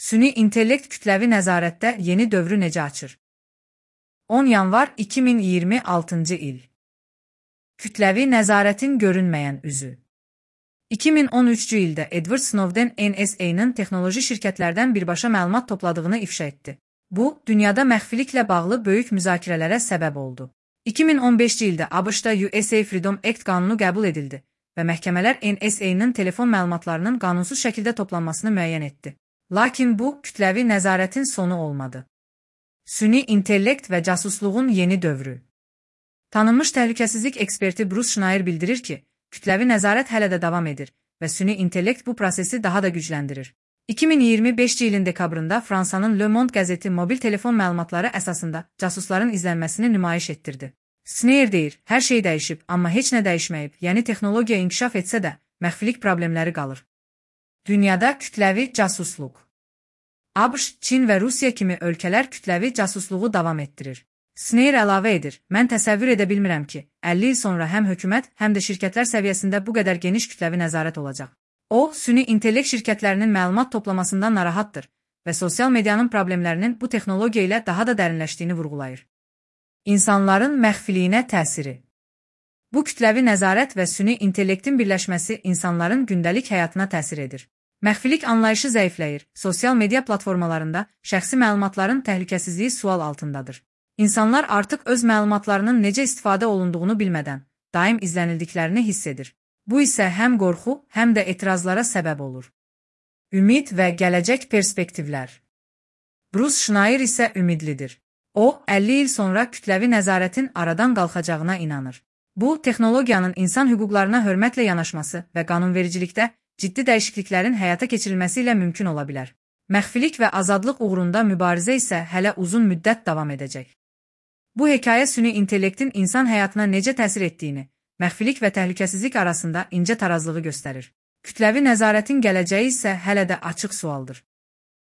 Süni intellekt kütləvi nəzarətdə yeni dövrü necə açır? 10 yanvar 2026 il. Kütləvi nəzarətin görünməyən üzü. 2013-cü ildə Edward Snowden NSA-nın texnoloji şirkətlərdən birbaşa məlumat topladığını ifşa etdi. Bu, dünyada məxfiliklə bağlı böyük müzakirələrə səbəb oldu. 2015-ci ildə ABŞ-da USA Freedom Act qanunu qəbul edildi və məhkəmələr NSA-nın telefon məlumatlarının qanunsuz şəkildə toplanmasını müəyyən etdi. Lakin bu, kütləvi nəzarətin sonu olmadı. Süni intellekt və casusluğun yeni dövrü. Tanınmış təhlükəsizlik eksperti Bruce Schneier bildirir ki, kütləvi nəzarət hələ də davam edir və süni intellekt bu prosesi daha da gücləndirir. 2025-ci ilin dekabrında Fransanın Le Monde qəzeti mobil telefon məlumatları əsasında casusların izlənməsini nümayiş etdirdi. Schneier deyir, hər şey dəyişib, amma heç nə dəyişməyib, yəni texnologiya inkişaf etsə də, məxfilik problemləri qalır. Dünyada kütləvi casusluq. ABŞ, Çin və Rusiya kimi ölkələr kütləvi casusluğu davam etdirir. Schneier əlavə edir, mən təsəvvür edə bilmirəm ki, 50 il sonra həm hökumət, həm də şirkətlər səviyyəsində bu qədər geniş kütləvi nəzarət olacaq. O, süni intellekt şirkətlərinin məlumat toplamasından narahatdır və sosial medianın problemlərinin bu texnologiya ilə daha da dərinləşdiyini vurğulayır. İnsanların məxfiliyinə təsiri. Bu kütləvi nəzarət və süni intellektin birləşməsi insanların gündəlik həyatına təsir edir. Məxfilik anlayışı zəifləyir, sosial media platformalarında şəxsi məlumatların təhlükəsizliyi sual altındadır. İnsanlar artıq öz məlumatlarının necə istifadə olunduğunu bilmədən, daim izlənildiklərini hiss edir. Bu isə həm qorxu, həm də etirazlara səbəb olur. Ümid və gələcək perspektivlər. Bruce Schneier isə ümidlidir. O, 50 il sonra kütləvi nəzarətin aradan qalxacağına inanır. Bu, texnologiyanın insan hüquqlarına hörmətlə yanaşması və qanunvericilikdə ciddi dəyişikliklərin həyata keçirilməsi ilə mümkün ola bilər. Məxfilik və azadlıq uğrunda mübarizə isə hələ uzun müddət davam edəcək. Bu hekayə süni intellektin insan həyatına necə təsir etdiyini, məxfilik və təhlükəsizlik arasında incə tarazlığı göstərir. Kütləvi nəzarətin gələcəyi isə hələ də açıq sualdır.